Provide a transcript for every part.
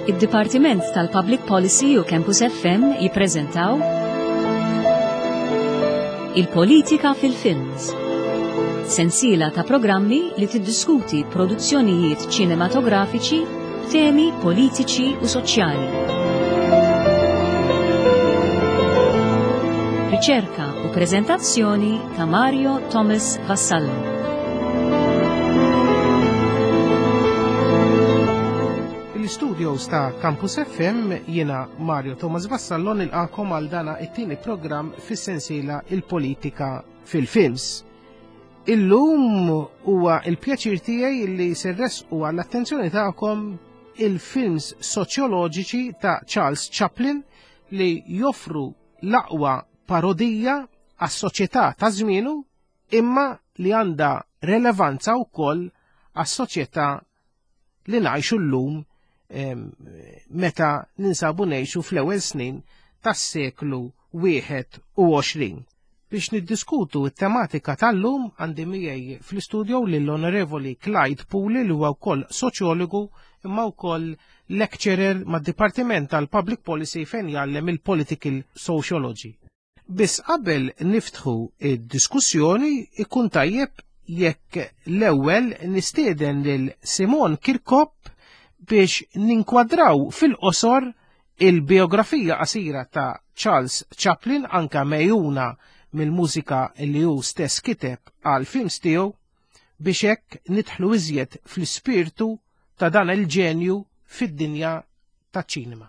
Id-Dipartiment tal-Public Policy u Campus FM jippreżentaw Il-Politika fil-Films. Sensiela ta' programmi li tiddiskuti produzzjonijiet ċinematografiċi b'temi politiċi u soċjali. Riċerka u preżentazzjoni ta' Mario Thomas Vassallo. Il-studios ta' Campus FM jiena Mario Thomas Vassallo nilqakom għal dana it-tieni programm fis-sensiela Il-Politika fil-Films. Illum huwa il-pjaċir tiegħi li se nressqu għall-attenzjoni tagħkom il-films soċjoloġiċi ta' Charles Chaplin li joffru l-aqwa parodija għas-soċjetà ta' żmienu imma li għandha relevanza wkoll għas-soċjetà li ngħixu llum meta ninsabu ngħixu fl-ewwel snin tas-seklu 21. Biex niddiskutu t-tematika tal-lum għandi miegħi fl-istudio lill-Onorevoli Clyde Puli li huwa wkoll soċjologu imma wkoll lecturer mad-Dipartiment tal-Public Policy fejn jgħallem il-Political Sociology. Biss qabel niftħu id-diskussjoni ikun tajjeb jekk l-ewwel nistieden lil Simon Kirkop biex ninkwadraw fil-qosor il-biografija qasira ta' Charles Chaplin anka mejuna mill-mużika li hu stess kiteb għal films tiegħu biex hekk nidħlu iżjed fl-ispirtu ta' dan il-ġenju fid-dinja taċ-ċinema.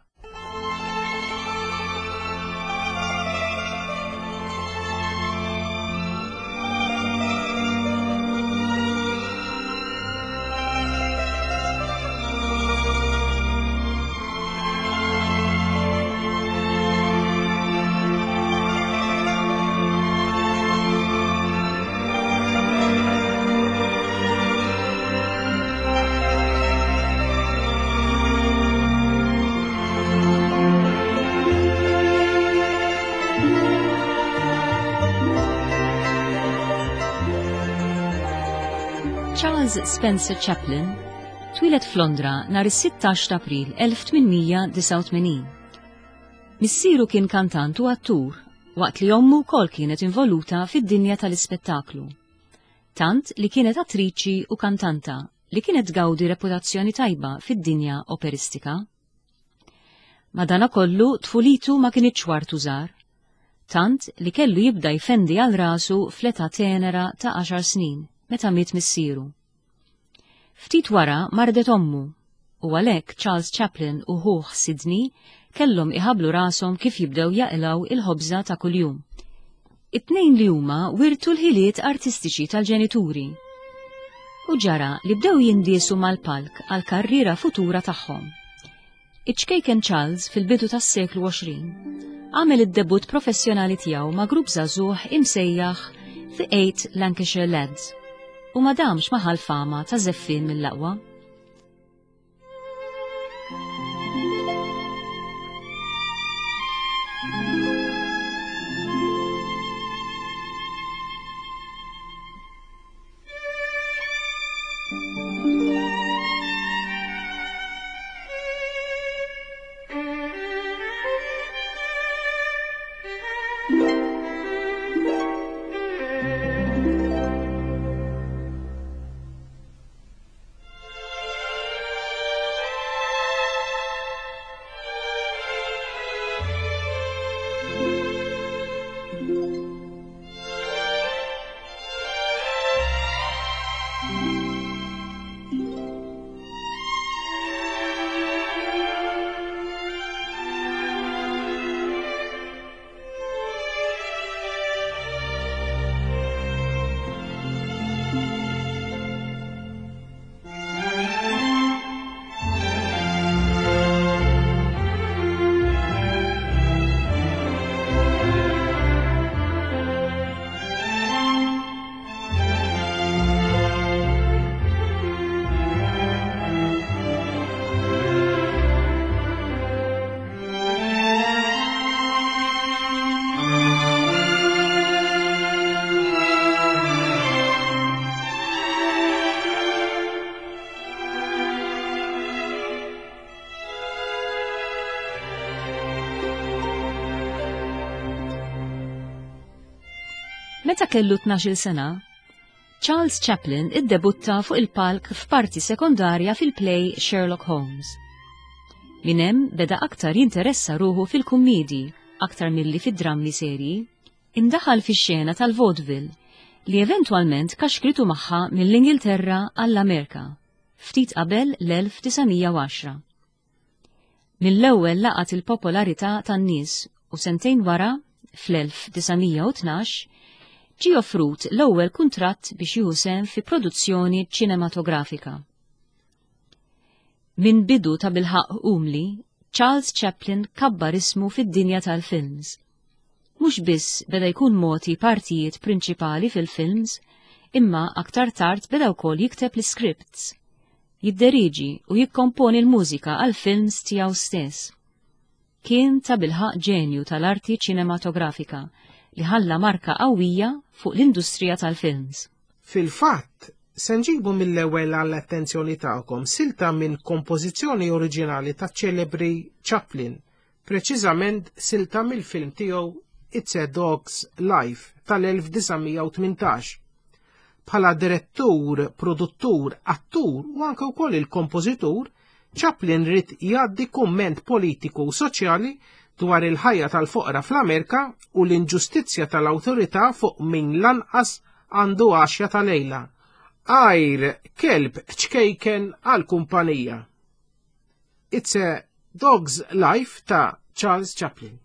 Charles Spencer Chaplin twieled f'Londra nhar is-16 ta' April 1889. Missieru kien kantant u attur waqt li ommu wkoll kienet involuta fid-dinja tal-ispettaklu. Tant li kienet attriċi u kantanta li kienet tgawdi reputazzjoni tajba fid-dinja operistika. Madanakollu tfulitu ma kinitx wartu żgħar, tant li kellu jibda jfendi għal rasu fl-età tenera ta' għaxar snin meta miet missieru. Ftit wara mardet ommu u għalhekk Charles Chaplin u ħuh Sidney kellhom iħabblu rashom kif jibdew jaqilgħu il-ħobża ta' kuljum. It-tnejn li huma wirtu l-ħiliet artistiċi tal-ġenituri u ġara li bdew jindiesu mal-palk għall-karriera futura tagħhom. Iċ-ċkejken Charles fil-bidu tas-seklu 20 għamel id-debutt professjonali tiegħu ma' grupp żagħżugħ imsejjaħ The Eight Lancashire Lads u ma damx ma ħa l-fama ta' żeffien mill-aqwa. Meta kellu 12-il sena, Charles Chaplin iddebutta fuq il-palk f'parti sekondarja fil-play Sherlock Holmes. Minn hemm beda aktar jinteressa ruħu fil-kummiedji aktar milli fid-drammi serji. Indaħal fix-xena tal-vaudeville li eventwalment kaxkritu magħha mill-Ingilterra għall-Amerika ftit qabel l-1910. Mill-ewwel laqat il-popolarità tan-nies u sentejn wara, fl-1912, ġie offrut l-ewwel kuntratt biex jieħu sehem fi produzzjoni ċinematografika. Minn bidu tabilħaqq umli, Charles Chaplin kabbar ismu fid-dinja tal-films. Mhux biss beda jkun mogħti partijiet prinċipali fil-films, imma aktar tard beda wkoll jikteb l-iscripts, jidderieġi u jikkomponi l-mużika għall-films tiegħu stess. Kien tabilħaqq ġenju tal-arti ċinematografika li ħalla marka qawwija fuq l-industrija tal-films. Fil-fatt, se nġibu mill-ewwel għall-attenzjoni tagħkom silta minn kompożizzjoni oriġinali taċ-ċelebri Chaplin, preċiżament silta mill-film tiegħu It's a Dog's Life tal-1918. Bħala direttur, produttur, attur u anke wkoll il-kompożitur, Chaplin ried jgħaddi kumment politiku u soċjali dwar il-ħajja tal-foqra fl-Amerika u l-inġustizzja tal-awtorità fuq min lanqas għandu għaxja ta' lejla, għajr kelb ċkejken għall-kumpanija. It's a Dog's Life ta' Charles Chaplin.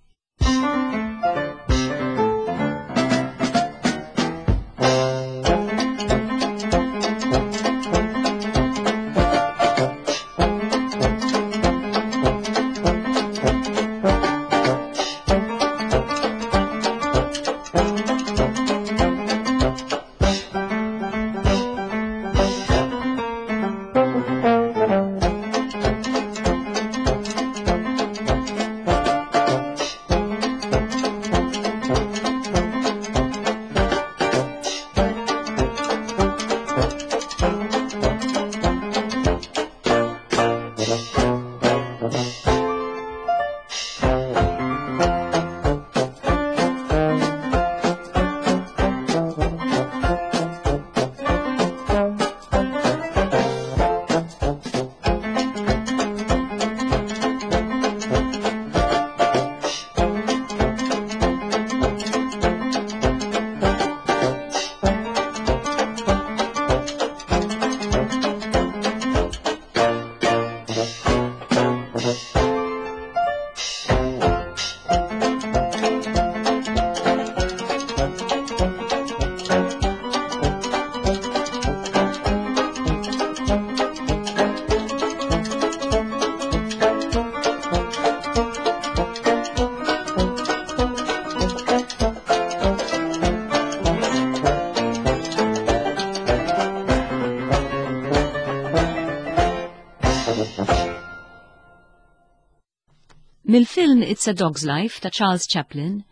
Mill-film It's a Dog's Life ta' Charles Chaplin,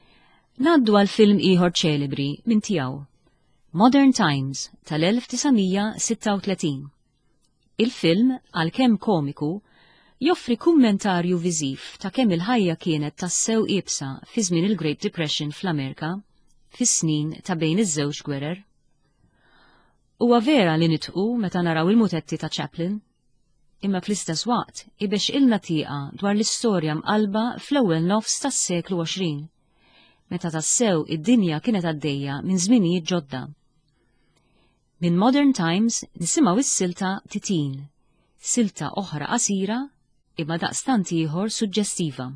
ngħaddu għal film ieħor ċelebri minn tiegħu, Modern Times tal-1936. Il-film, għalkemm komiku, joffri kummentarju viżiv ta' kemm il-ħajja kienet tassew iebsa fi żmien il-Great Depression fl-Amerika fis-snin ta' bejn iż-żewġ gwerer. Huwa vera li nidħqu meta naraw il-mutetti ta' Chaplin, imma fl-istess waqt ibexxqilna tieqa dwar l-istorja mqallba fl-ewwel nofs tas-seklu 20, meta tassew id-dinja kienet għaddejja minn żminijiet ġodda. Minn Modern Times nisimgħu s-silta Titin, silta oħra qasira imma daqstant ieħor suġġestiva.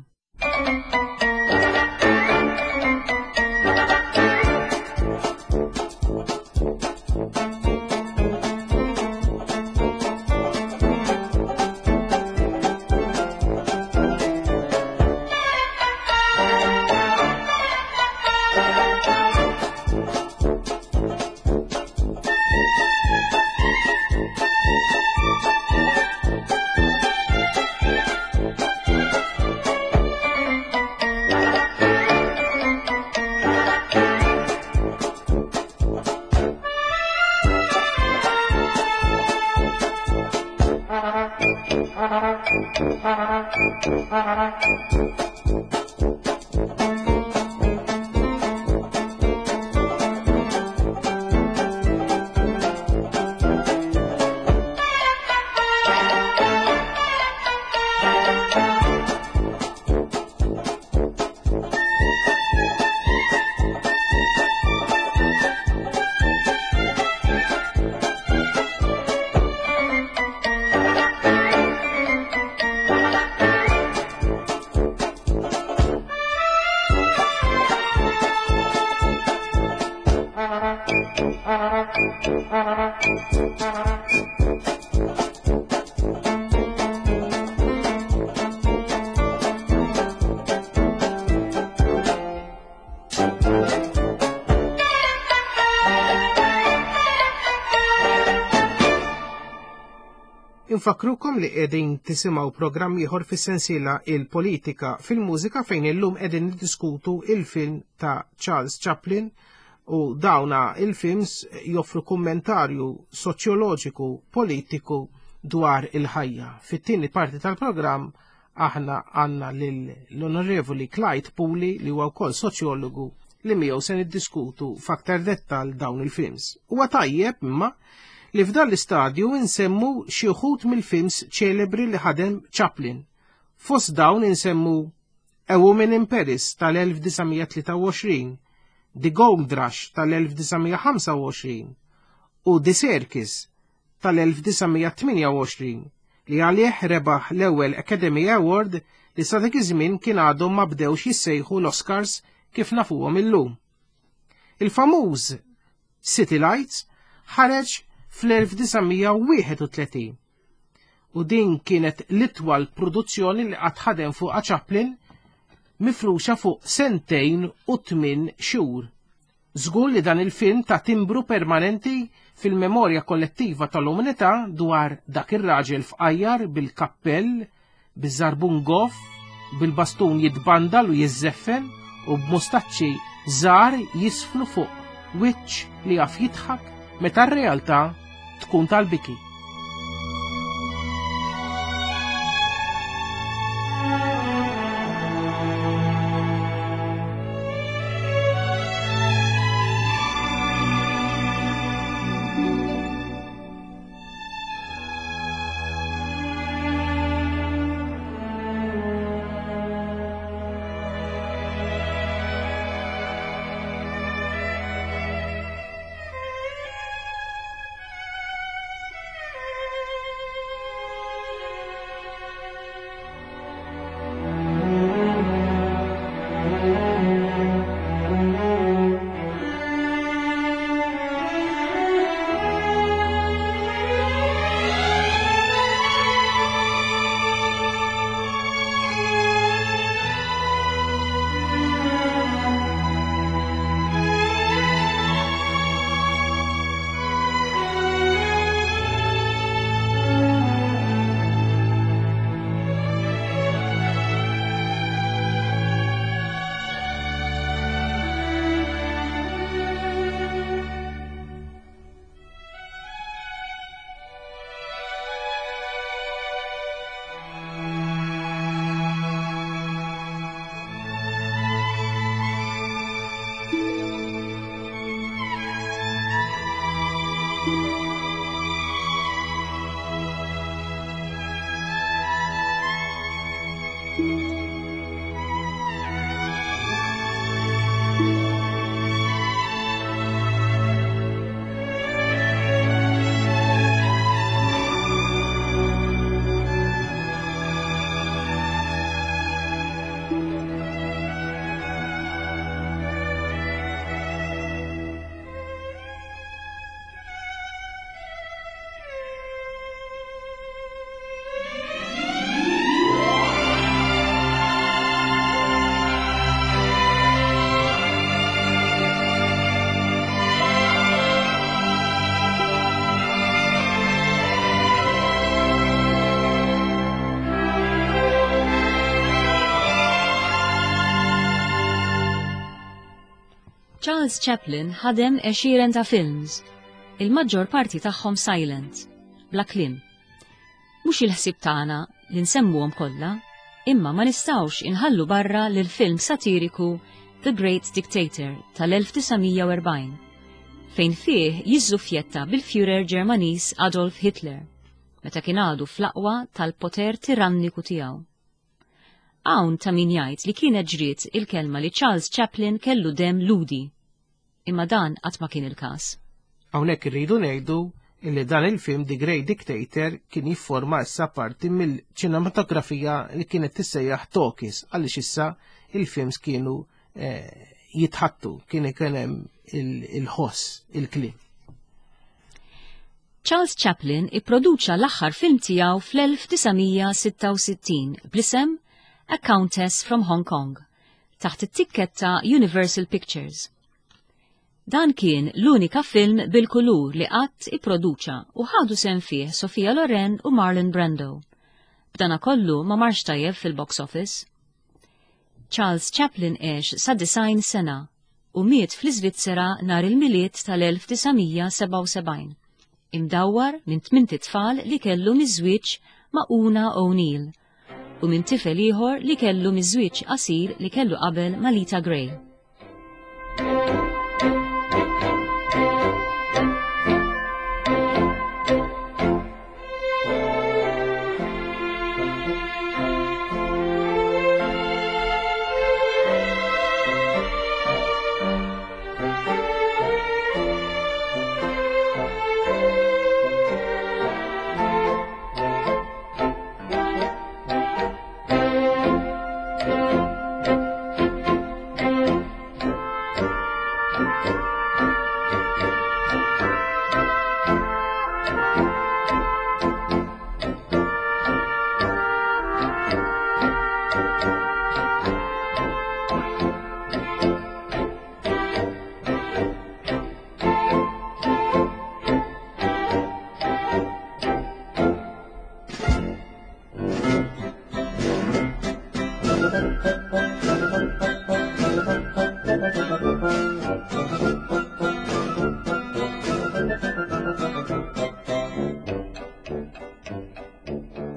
Infakkrukom li qegħdin tisimgħu programm ieħor fis-sensiela Il-Politika fil-Mużika fejn illum qegħdin niddiskutu il-film ta' Charles Chaplin u dawna il-films joffru kummentarju soċjoloġiku politiku dwar il-ħajja. Fit-tieni parti tal-programm aħna għandna lill-Onorevoli Clyde Puli li huwa wkoll soċjologu li miegħu se niddiskutu f'aktar dettal dawn il-films. Huwa tajjeb imma li f'dan l-istadju insemmu xi wħud mill-films ċelebri li ħadem Chaplin. Fost dawn insemmu A Woman in Paris tal-1923, The Gold Rush tal-1925 u The Circus tal-1928 li għalih rebaħ l-ewwel Academy Award li sa dak iż-żmien kien għadhom ma bdewx jissejħu l-Oscars kif nafuhom illum. Il-famuż City Lights ħareġ fl-1931 u din kienet l-itwal produzzjoni li qatt ħadem fuqha Chaplin mifruxa fuq sentejn u tmien xhur. Żgur li dan il-film ta timbru permanenti fil-memorja kollettiva tal-umanità dwar dak ir-raġel fqajjar bil-kappell, biż-żarbun goff, bil-bastun jitbandal u jiżżeffen u b'mustaċċi żgħar jisflu fuq wiċċ li jaf jidħak meta r-realtà tkun tal-biki. Charles Chaplin ħadem għexieren ta' films, il-maġġor parti tagħhom silent, bla kliem. Mhux il-ħsieb tagħna li nsemmuhom kollha, imma ma nistgħux inħallu barra lil film satiriku The Great Dictator tal-1940, fejn fih jiżżuffjetta bil-Führer Ġermaniż Adolf Hitler, meta kien għadu fl-aqwa tal-poter tiranniku tiegħu. Hawn ta' min jgħid li kienet ġriet il-kelma li Charles Chaplin kellu demm Lhudi. Imma dan qatt ma kien il-każ. Hawnhekk irridu ngħidu illi dan il-film The Great Dictator kien jifforma issa parti mill-ċinematografija li kienet tissejjaħ talkies għaliex issa il-films kienu eh, jitħattu, kien ikun hemm il-ħoss, il-kliem. Charles Chaplin ipproduċa l-aħħar film tiegħu fl-1966 bl-isem A Countess from Hong Kong taħt it-tikketta Universal Pictures. Dan kien l-unika film bil-kulur li qatt ipproduċa u ħadu sehem fih Sophia Loren u Marlon Brando. B'dana kollu ma marx tajjeb fil-box office. Charles Chaplin għex sa 90 sena u miet fl-Iżvizzera nhar il-Milied tal-1977, imdawwar minn tmint itfal li kellu miż-żwieġ ma' Una O'Neill u minn tifel ieħor li kellu miż-żwieġ qasir li kellu qabel ma' Lita Grey.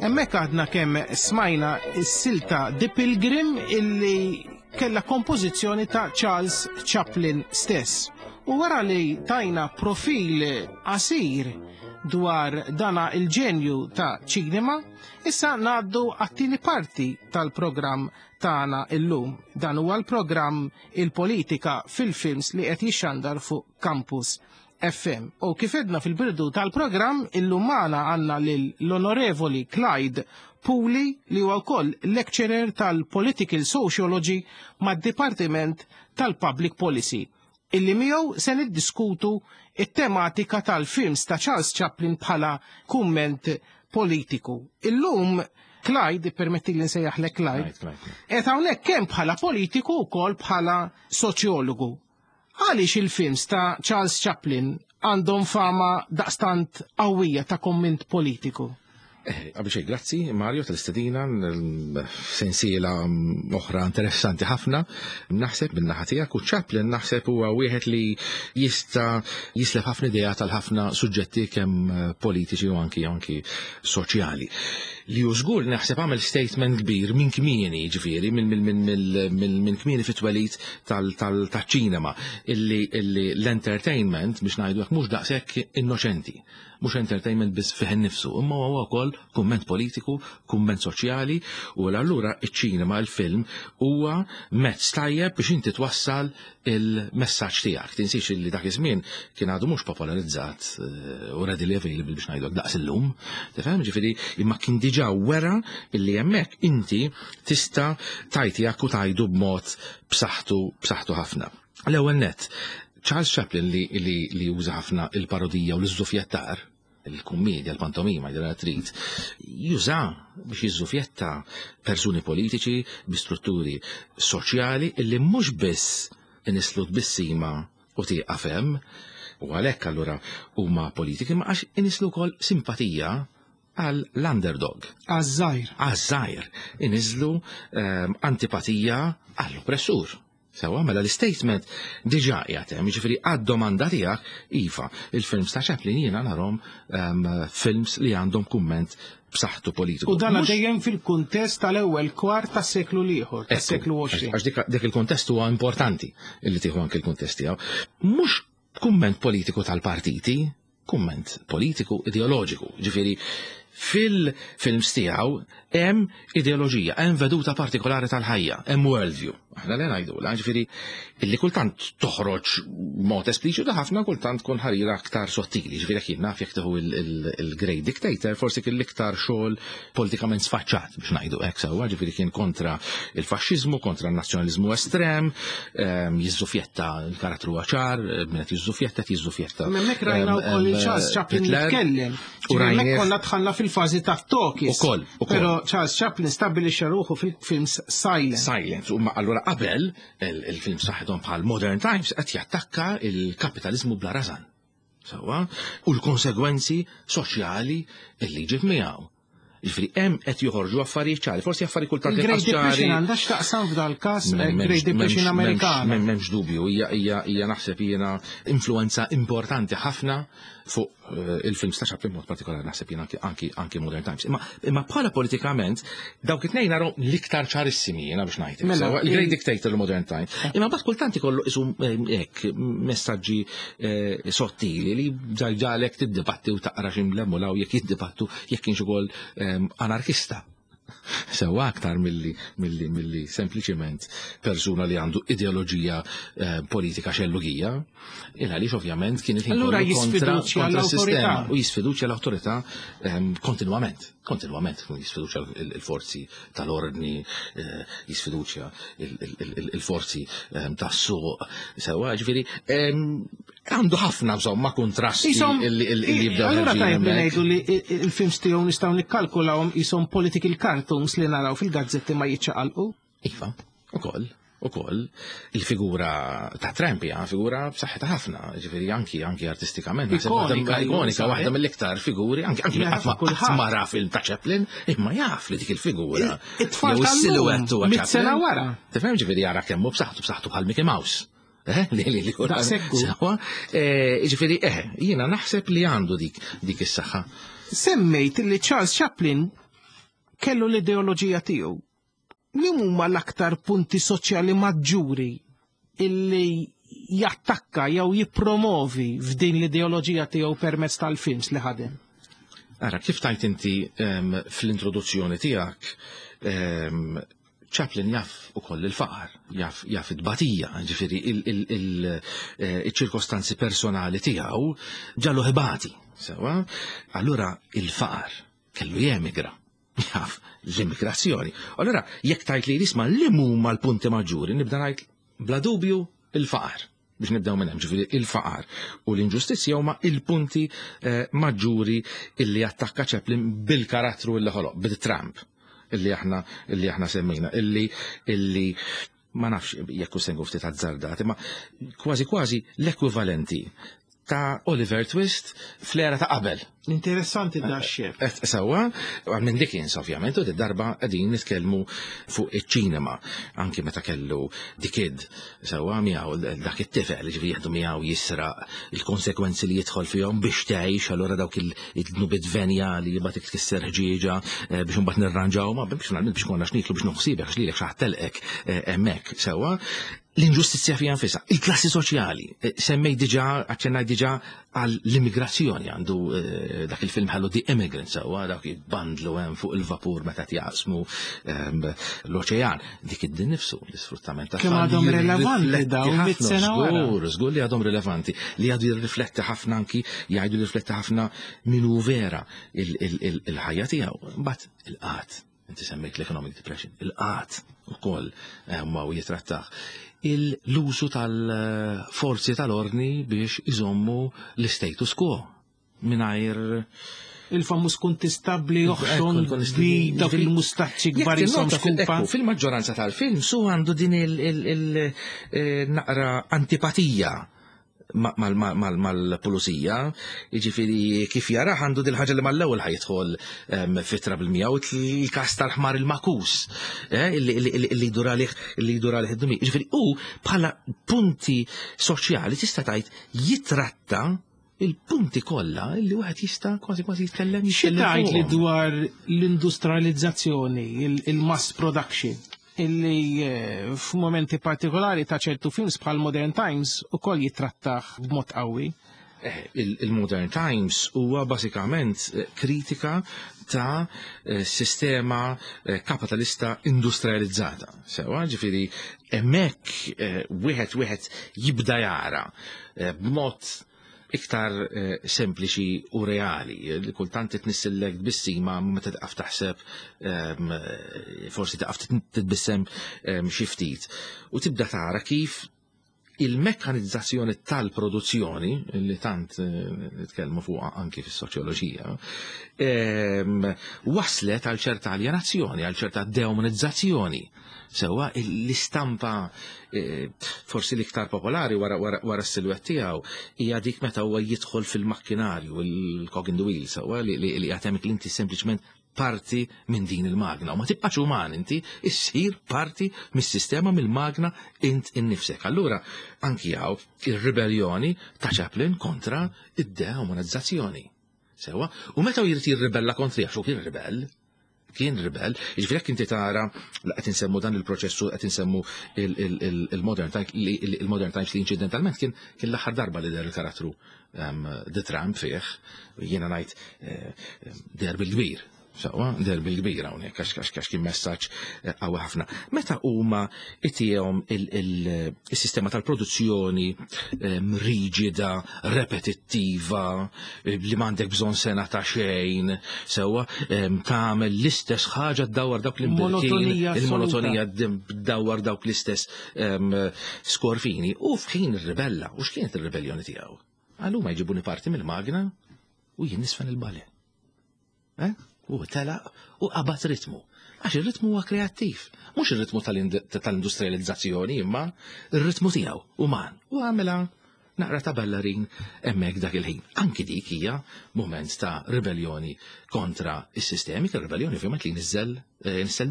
Hemmhekk għadna kemm smajna s-silta The Pilgrim illi kella kompożizzjoni ta' Charles Chaplin stess. U wara li tajna profil qasir dwar dana il-ġenju ta' ċinema, issa ngħaddu għat-tieni parti tal-programm tagħna illum. Dan huwa l-programm Il-Politika fil-Films li qed jixxandar fuq Campus FM. U kif edna fil-birdu tal-programm, illum magħna għandna lil l-Onorevoli Clyde Puli li huwa wkoll lecturer tal-Political Sociology mad-Dipartiment tal-Public Policy, illi miegħu se niddiskutu it-tematika tal-films ta' Charles Chaplin bħala kumment politiku. Illum Clyde, permetti li nsejjaħlek Clyde, qed hawnhekk kemm bħala politiku wkoll bħala soċjologu. Għaliex il-films ta' Charles Chaplin għandhom fama daqstant qawwija ta' komment politiku? Eh, qabel xejn, grazzi Mario tal-istedina, sensiela oħra interessanti ħafna. Naħseb minn naħa tiegħek u Chaplin naħseb huwa wieħed li jista' jislef ħafna idea tal-ħafna suġġetti kemm eh, politiċi u anki anki soċjali. Li hu żgur naħseb għamel statement kbir minn kmieni, ġifieri, minn kmieni fit-twelid tal-ċinema illi l-entertainment biex ngħidu hekk mhux daqshekk innoċenti mhux entertainment biss fih innifsu, imma huwa wkoll kumment politiku, kumment soċjali, u allura iċ-ċinema, il-film huwa mezz tajjeb biex inti twassal il-messaġġ tiegħek. Tinsiex li dak iż-żmien kien għadu mhux popolarizzat eh, u readily available biex ngħidu daqs illum. Tifhem ġifieri imma kien diġà wera illi hemmhekk inti tista' tajt tiegħek u tajdu b'mod b'saħħtu b'saħħtu ħafna. L-ewwel nett, Charles Chaplin li, li, li juża ħafna il-parodija u l-iżżufjettar, il-kummedja, l-pantomima, jidra trid, juża biex jiżżufjetta persuni politiċi bi strutturi soċjali illi mhux biss inislu tbissima u tieqaf hemm, u għalhekk allura huma politiki, ma għax inislu wkoll simpatija għal l-underdog. Għaż-żgħir. Għaż-żgħir. Iniżlu ehm, antipatija għall-oppressur. Sewa, mela l-statement diġà qiegħed hemm, jiġifieri għad-domanda tiegħek, iva, il-films ta' Chaplin jiena narhom ehm, films li għandhom kumment b'saħħtu politiku. U dan dejjem fil-kuntest tal-ewwel kwart tas-seklu l-ieħor, tas-seklu 20. Għax dik il-kuntest huwa importanti illi tieħu anke l-kuntest tiegħu. Mhux kumment politiku tal-partiti, kumment politiku ideoloġiku. Ġifieri Fil-films tiegħu hemm ideoloġija, hemm veduta partikolari tal-ħajja, hemm worldview. Aħna li ngħidu, ġifieri illi kultant toħroġ mod espliċitu ħafna kultant tkun ħarira aktar sottili, ġifieri jekk jien naf jekk tieħu il-Great Dictator, forsi kien l-iktar xogħol politikament sfaċċat biex ngħidu hekk sewwa, ġifieri kien kontra il-faxxiżmu, kontra n-nazzjonaliżmu estrem, jiżżufjetta l-karattru ċar, min qed jiżżufjetta qed jiżżufjetta. Hemmhekk rajna wkoll il-Charles Chaplin jitkellem. U rajna konna dħalna fil-fażi ta' talkies. Ukoll, ukoll. Però Charles Chaplin stabbilixxa ruħu fil-films silent. Silent. U allura qabel il-film saħħithom bħal Modern Times qed jattakka il-kapitalizmu bla rażan. Sewwa, u l-konsegwenzi soċjali li ġib miegħu. Ġifieri hemm qed joħorġu affarijiet ċari, forsi affarijiet kultant Il-Great Depression għandha x'taqsam f'dal każ Great Depression Amerikana. M'hemmx dubju, hija naħseb jiena influenza importanti ħafna fuq il-films ta' Chaplin mod partikolari naħseb jiena anki Modern Times. Imma bħala politikament dawk it-tnejn naraw l-iktar ċarissimi jiena biex ngħid. Mela, Sewwa, il-Great Dictator u Modern Times. Imma mbagħad kultant ikollu isu hekk messaġġi sottili li ġalek tiddibatti u taqra x'imlemmu law jekk jiddibattu jekk kienx ukoll anarkista. Sewwa aktar milli sempliċiment persuna li għandu ideoloġija politika xellugija, il għaliex ovvjament kien il-ħin Allura kollu jisfiduċja kontra l-awtorità. s-sistema u jisfiduċja l-awtorità kontinwament, kontinwament jisfiduċja il-forzi tal-ordni, jisfiduċja il-forzi tas-suq. Sewwa, ġifieri, għandu ħafna insomma kontrasti illi jibdew Allura ħerġin tajjeb li hemmhekk. ngħidu li il-films tiegħu nistgħu nikkalkulawhom ishom political cartoons li naraw fil-gazzetti ma jiċċaqalqu. Iva, ukoll, ukoll. Il-figura ta' Trump hija figura b'saħħitha ħafna, ġifieri anki artistikament, naħseb waħda Ikonika, ikonika, ikonika, waħda mill-iktar figuri, anki Jaf qatt kulħadd. ma ra film ta' Chaplin, imma jaf li dik il-figura. It-tfal Jew tal-lum, is-silhouette huwa mit sena Chaplin. wara. Tifhem ġifieri jara kemm hu b'saħħtu, b'saħħtu bħal Mickey Mouse. Li, li, li, Daqshekk hu. Sewwa, ġifieri, jiena naħseb li għandu dik is-saħħa. Semmejt li Charles Chaplin kellu l-ideoloġija tiegħu. Li huma l-aktar punti soċjali maġġuri illi jattakka jew jippromovi f'din l-ideoloġija tiegħu permezz tal-films li ħadem? Ara, kif tajt inti fl-introduzzjoni tiegħek, Chaplin jaf ukoll il-faqar, jaf it-batija, ġifieri il-ċirkostanzi personali tiegħu ġallu ħibati, sewwa? Allura il-faqar kellu jemigra, jaf l-immigrazzjoni. Allura jekk tajt li jisma' li huma l-punti maġġuri, nibda ngħid bla dubju il-faqar. Biex nibdew minn hemm, ġifieri il-faqar u l-inġustizzja huma il-punti maġġuri illi attakka Chaplin bil-karattru illi ħoloq, bil-Tramp illi aħna semmejna, illi ma nafx jekk hu se nkun ftit azzardat, imma kważi kważi l-ekwivalenti ta' Oliver Twist fl-era ta' qabel. Interessanti da xef. Sewwa, minn Dickens ovvjament, u darba qegħdin nitkellmu fuq iċ-ċinema, anki meta kellu The Kid, sewwa miegħu dak it-tifel li ġifieri jieħdu miegħu jisraq il-konsekwenzi li jidħol fihom biex tgħix, allura dawk il-dnubiet venjali li bagħad tkisser ħġieġa biex imbagħad nirranġaw, ma biex finalment biex konna x'niklu biex noħsibek għax lilek xi ħadd telqek hemmhekk, sewwa. L-inġustizzja fija nfisha, il-klassi soċjali, semmej diġà, aċċennaj diġà għall-immigrazzjoni, għandu dak il-film ħallu The Immigrant, sewwa dak jitbandlu hemm fuq il-vapur meta jaqsmu l-oċean. Dik id-din nifsu, l-isfruttament ta' Kemm tfal għadhom jirrifletti rilevanti dawn ħafna, mit sena wara. Żgur, żgur li għadhom rilevanti, li għadu jirrifletti ħafna anki, jgħidu jirrifletti ħafna min hu vera il-ħajja tiegħu. Mbagħad il-qat. Inti semmejt l-economic depression, il-qat ukoll ma u jitrattaħ. L-użu tal-forzi tal-ordni biex iżommu l-status quo mingħajr il-famuż kuntistabbli oħxon Il-kuntistabbli bi dawk il-mustaċċi Jekk kbar jisom tinnota xkupa. Fil-maġġoranza tal-film su għandu din il-naqra antipatija mal-pulizija, jiġifieri kif jaraħ għandu dil-ħaġa li mal-ewwel ħajidħol fitra bil-mija u il-kas tal-ħmar il-makus illi jdur għalih, illi jdur għalih id-dumi. Jiġifieri hu bħala punti soċjali tista' tgħid jitratta il-punti kollha illi wieħed jista' kważi kważi jitkellem Xi jitkellem tgħid li fuqhom. dwar l-industrializzazzjoni, il-mass production, illi f'momenti partikolari ta' ċertu films bħal Modern Times ukoll jitrattaħ b'mod qawwi. Il-Modern Times huwa basikament kritika ta' sistema kapitalista industrializzata. Sewa, ġifieri hemmhekk wieħed jibda jara b'mod iktar sempliċi u reali. Li kultant titnissillek tbissima meta taqaf taħseb forsi taqaf titbissem xi ftit. U tibda tara kif il-mekkanizzazzjoni tal-produzzjoni, li tant nitkellmu fuqha anki fis-soċjoloġija, waslet għal ċerta aljenazzjoni, għal ċerta deumanizzazzjoni. Sewwa l-istampa forsi l-iktar popolari wara s-silwett tiegħu hija dik meta huwa jidħol fil-makkinarju, il-cog in the wheel, sewwa li jagħtemek li inti sempliċement parti minn din il-magna. U ma tibqax uman inti, issir parti mis-sistema mill-magna int innifsek. Allura, anki hawn ir-ribellioni ta' Chaplin kontra id-deumanizzazzjoni. Sewwa, u meta jrid jirribella kontri għax hu kien ribell, kien ribell, jiġifieri jekk inti tara la qed insemmu dan il-proċessu qed insemmu il-Modern Times il-Modern Times li inċidentalment kien l-aħħar darba li deher il-karattru The Tramp fih, jiena ngħid deher bil-kbir. Sewwa, deher bil-kbir hawnhekk għax kien messaġġ qawwi ħafna. Meta huma itihom il-sistema tal-produzzjoni riġida, repetittiva, li m'għandek bżonn sena ta' xejn, sewwa, tagħmel l-istess ħaġa ddawwar dawk l-imbirkin, il-monotonija ddawwar dawk l-istess skorfini. U f'ħin ir-ribella, u x'kienet ir-ribellioni tiegħu? Għal huma jġibuni parti mill-magna u jien nisfen il-bale. U telaq u qabad ritmu. Għax ir-ritmu huwa kreattiv. Mhux ir-ritmu tal-industrializzazzjoni, imma ir-ritmu tiegħu uman. U għamilha naqra ta' ballerin hemmhekk dak il-ħin. Anki dik hija moment ta' ribellioni kontra is-sistemi, kien ribellioni ovvjament li nizzel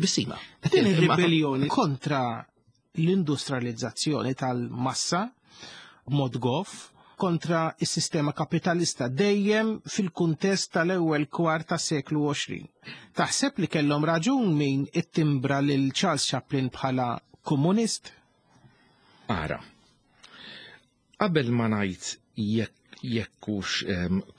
bissima. Din ir-ribellioni kontra l-industrializzazzjoni tal-massa b'mod goff kontra is-sistema kapitalista dejjem fil-kuntest tal-ewwel kwart tas-seklu 20. Taħseb li kellhom raġun min ittimbra lil Charles Chaplin bħala komunist? Ara, qabel ma ngħid jekkux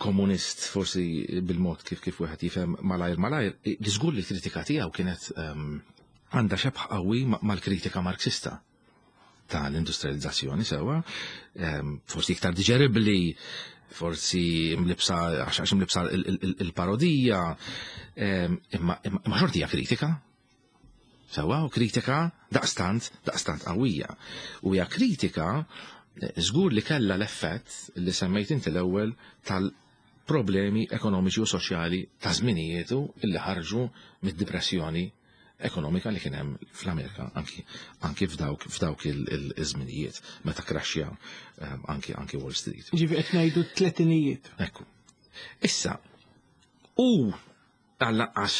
komunist forsi bil-mod kif wieħed jifhem malajr malajr, li żgur li l-kritika tiegħu kienet għandha xebh qawwi mal-kritika Marxista tal-industrializzazzjoni sewwa, forsi iktar diġeribbli, forsi mlibsa għax imlibsa il-parodija, imma xorti hija kritika. Sewwa, u kritika daqstant qawwija. U hija kritika żgur li kellha l-effett li semmejt inti l-ewwel tal-problemi ekonomiċi u soċjali ta' żminijietu illi ħarġu mid-depressjoni ekonomika li kien hemm fl-Amerika anki f'dawk il-żminijiet meta kraxxja anki Wall Street. Ġifieri qed ngħidu tletinijiet. Ekku. Issa, u għall-anqas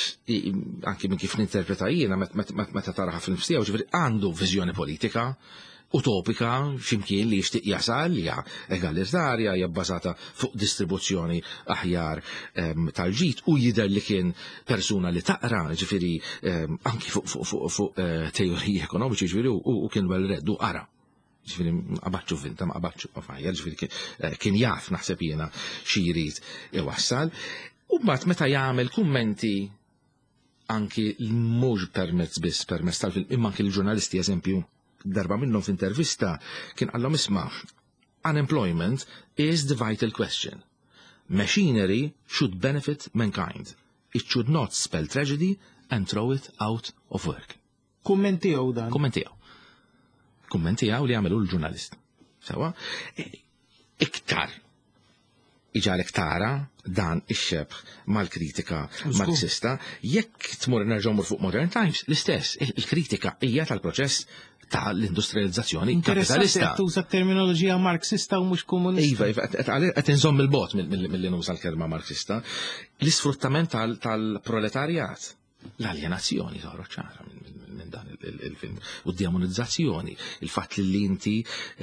anki minn kif ninterpreta jiena meta taraha fil-nifs tiegħu, ġifieri għandu viżjoni politika utopika x'imkien li jixtieq jasal, hija egalitarja, hija bbażata fuq distribuzzjoni aħjar tal-ġid, u jidher li kien persuna li taqra, ġifieri anki fuq teoriji ekonomiċi, ġifieri u kien well read u qara. Ġifieri ma qabatx vinta, ma qabatx fajja, ġifieri kien jaf naħseb jiena xi jrid iwassal. U mbagħad meta jagħmel kummenti anki mhux permezz biss permezz tal-film, imma anki l-ġurnalisti, eżempju, darba minnhom f'intervista kien qallhom isma' unemployment is the vital question. Machinery should benefit mankind. It should not spell tragedy and throw it out of work. Kumment tiegħu dan. Kumment tiegħu. Kumment tiegħu li għamelu l-ġurnalist. Sewa, iktar iġalek tara dan ix-xebh mal-kritika Marxista, jekk tmur nerġgħu mur fuq Modern Times, l-istess, il-kritika hija tal-proċess tal-industrializzazzjoni Interessanti kapitalista. qed tuża terminoloġija Marxista u mhux komunista. Iva, iva, qed inżomm il-bot mill-li nuża l-kelma Marxista. L-isfruttament tal-proletarjat, l-aljenazzjoni toħroġ ċara minn dan il-film, u d-demonizzazzjoni, il-fatt li inti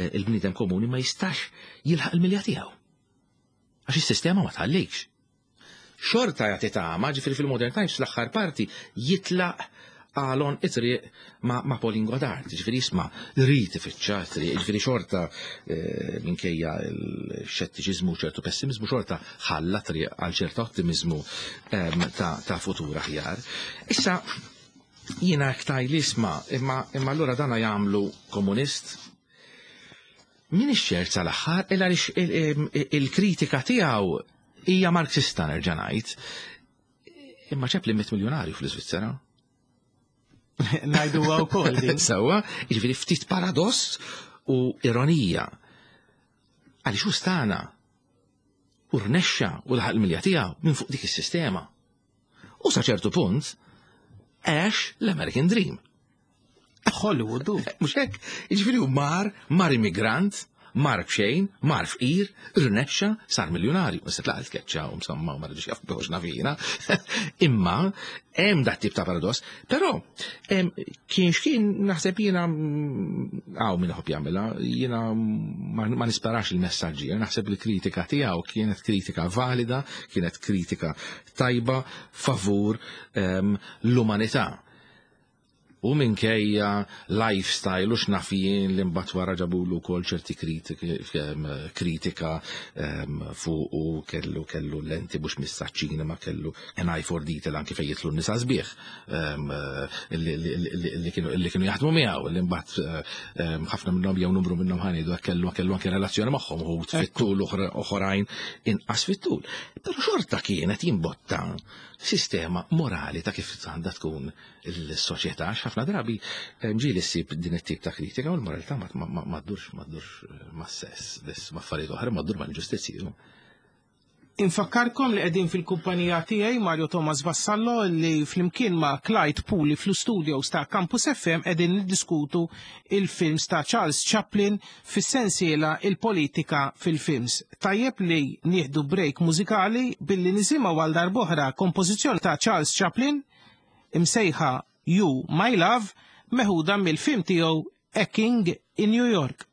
il-bniedem komuni ma jistax jilħaq il-milja tiegħu. Għax is-sistema ma tħallikx. Xorta jagħti tama, ġifieri fil-Modern Times fl-aħħar parti jitlaq għalon it-triq ma, ma Pauline Godard, ġifieri isma' rrid ifittxa triq, ġifieri xorta eh, minkejja l-xettiċiżmu ċertu pessimizmu xorta ħalla triq għal ċerta ottimizmu ehm, ta', ta futur aħjar. Issa jiena ktaj li isma' imma imma allura dana jagħmlu komunist Min ċert sal-aħħar illa il-kritika tiegħu hija Marxista nerġa' ngħid. Imma Chaplin miet miljonarju fl-Iżvizzera. Ngħidu wkoll din. Sewwa, jiġifieri ftit paradoss u ironija. Għaliex hu stana u rnexxa u laħaq il-milja tiegħu minn fuq dik is-sistema. U sa ċertu punt għex l-American Dream. Hollywood. Mhux hekk, jiġifieri hu mar, mar immigrant, mar b'xejn, mar fqir, rnexxa, sar miljonarju. Issa tlaq il-keċċa u msomma u ma rridux jaf biħux nafina. Imma hemm dat tip ta' paradoss, però kien x'kien naħseb jiena hawn min iħobb jagħmilha, jiena ma nisparax il-messaġġi, naħseb li kritika tiegħu kienet kritika valida, kienet kritika tajba favur l-umanità. U minkejja lifestyle u x'naf jien li mbagħad wara ġabulu wkoll ċerti kritika fuq u kellu kellu lenti mhux mis-saċ-ċinema kellu an eye for detail anki fejn jidħlu n-nisa sbieħ li kienu jaħdmu miegħu li mbagħad ħafna minnhom jew numru minnhom ħa ngħidu hekk kellu kellu anke relazzjoni magħhom uħud fit-tul oħrajn inqas fit-tul. Però xorta kienet jimbotta sistema morali ta' kif għandha tkun il-soċjetà, għax ħafna drabi eh, ġieli ssib din it-tip ta' kritika u l-moralità ma ddurx ma ddurx eh, ma' sess, biss ma' affarijiet oħra, ma ddur ma' l-ġustizzji. Infakkarkom li qegħdin fil-kumpanija tiegħi Mario Thomas Vassallo li flimkien ma' Clyde Puli fl-studios ta' Campus FM qegħdin niddiskutu il-films ta' Charles Chaplin fis-sensiela Il-Politika fil-Films. Tajjeb li nieħdu break mużikali billi nisimgħu għal darb'oħra kompożizzjoni ta' Charles Chaplin imsejħa You My Love meħuda mill-film tiegħu A King in New York.